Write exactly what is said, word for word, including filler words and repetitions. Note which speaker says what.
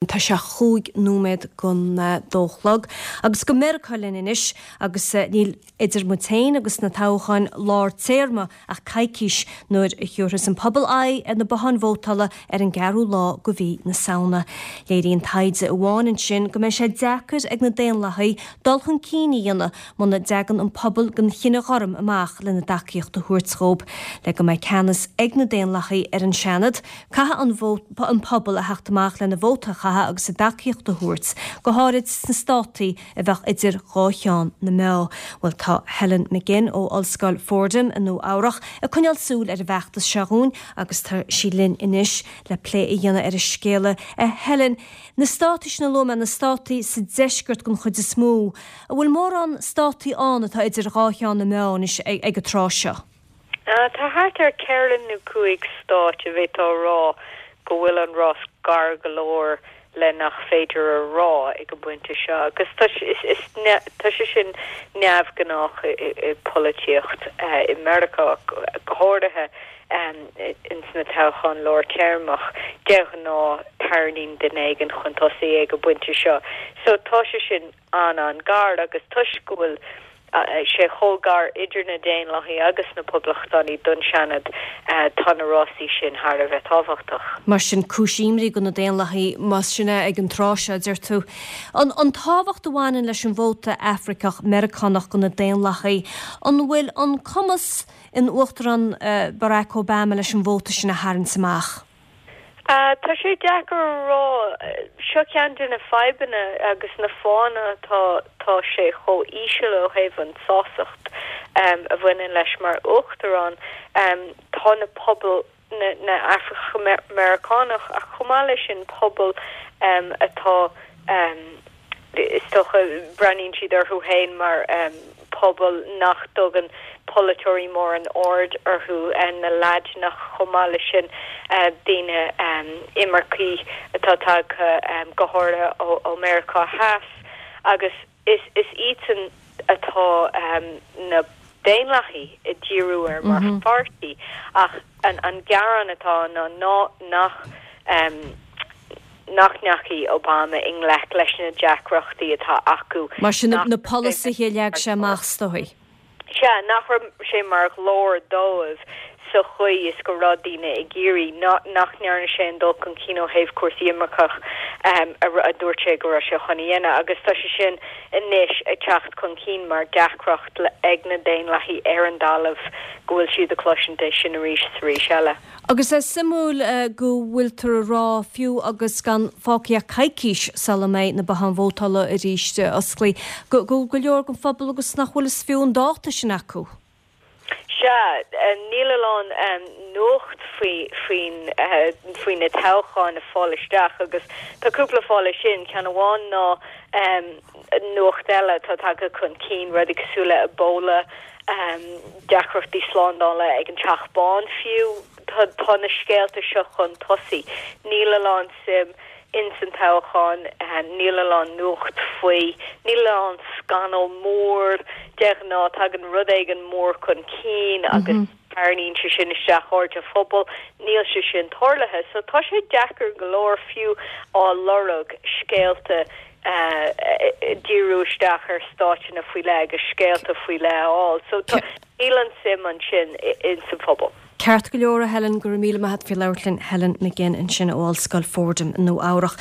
Speaker 1: Tá sé chúig nóiméad don dó chlog agus go Meiriceá linn anois agus níl idir muid féin agus na toghcháin lár téarma ach coicís nuair a thiúrfas an pobal aghaidh ar na botháin vótála ar an gceathrú lá de mhí na Samhna. Léiríonn taighde amháin ansin go mbeidh sé deacair ag na Daonlathaigh dul chun cinn a dhéanamh muna dteagann an pobal den chine ghorm amach lena dtacaíocht a thabhairt dóibh le go mbeidh ceannas ag na Daonlathaigh ar an Seanad, caithfidh an pobal a theacht amach lena vóta a chaitheamh agus a dtacaíocht a thabhairt, go háirid sna státaí a bheadh idir dhá cheann na meá. Bhuel tá Helen McGinn ó Ollscoil Fordham i Nua Eabhrac ag coinneáil súil ar an bhfeachtas seo dhúinn agus tá sí linn anois le plé a dhéanamh ar an scéala. A Helen, na státaí sin a luaigh mé, na státaí sa deisceart den chuid is mó, an bhfuil mórán státaí ann atá idir dhá cheann na meá anois ag an tráth seo?
Speaker 2: Tá thart ar ceithre nó cúig stát a bheifeá a rá go bhfuil an rás gar go leor le nach féidir a rá ag an bpointe seo agus tá sé sin neamhghnách i polaitíocht i Meiriceá go háirithe ins na toghcháin lár téarmach de ghnáth tarraingíonn duine éigin chun tosaigh ag an bpointe seo. So tá sé sin an an-ghar agus toisc go bhfuil sé chomh gar idir na Daonlathaigh agus na Poblachtánaigh don Seanad tá na rásaí sin thar a bheith tábhachtach.
Speaker 1: Mar sin cúis imní do na Daonlathaigh más sin é ag an tráth seo, deir tú. An an tábhacht a bhaineann leis an vóta Afracach Meiriceánach do na Daonlathaigh, an bhfuil an cumas ag an Uachtarán Barack Obama leis an vóta sin a tharraingt amach?
Speaker 2: Tá sé deacair a rá seo ceann de na fadhbanna agus na fáthanna tá tá sé chomh íseal ó thaobh an sástacht a bhaineann leis mar uachtarán tá na pobal na na Afra-Meiriceánach ach chomh maith leis sin pobal atá is dócha breathnaíonn siad orthu féin mar pobal nach dtugann polaiteoirí mórán aird orthu na Laidineach chomh maith leis sin daoine imircigh atá tagtha go háirithe ó Meiriceá Theas agus is is iadsan atá na Daonlathaigh ag díriú ar mar pháirtí ach an an gearán atá ná ná nach nach ndeachaigh Obama i ngleic leis na deacrachtaí atá acu.
Speaker 1: Mar sin na polasaithe a leag sé amach is dóigh.
Speaker 2: Sea, nach raibh sé mar ghlór dóibh sa chaoi is go raibh daoine ag iarraidh nach ndearna sé an dul chun cinn ó thaobh cúrsaí imirceach a dúirt sé go raibh sé chun a dhéanamh agus tá sé sin anois ag teacht chun cinn mar deacracht ag na Daonlathaigh ar an dtalamh go bhfuil siad ag cloisint é sin arís is arís eile.
Speaker 1: Agus é suimiúil go bhfuiltear a rá fiú agus gan fágtha ach coicís sula mbeidh na botháin vótála arís oscailte go go go leor den phobal agus nach bhfuil is fiú an dáta sin acu.
Speaker 2: Sea, níl a lán nuacht faoi faoin faoi na toghcháin ag fáil isteach agus tá cúpla fáth leis sin, ceann amháin ná nuacht eile atá tagtha chun cinn, rudaí cosúil le Ebola, deacrachtaí slándála ag an Teach Bán fiú, tá tá na scéalta seo chun tosaigh. Níl a lán suim ins an toghchán, níl a lán nuacht faoi, níl a lán scannal mór, de ghnáth tagann rud éigin mór chun cinn agus tarraingíonn sé sin isteach aird an phobail, níl sé sin tarlaithe. So tá sé deacair go leor fiú á lorg scéalta díriú isteach ar stáiteanna faoi leith agus scéalta faoi leith a fháil. So tá níl an suim ansin ins an phobal.
Speaker 1: Ceart go leor a Helen go raibh míle maith agat faoi labhairt linn Helen McGinn ansin ó Ollscoil Fordham i Nua Eabhrac.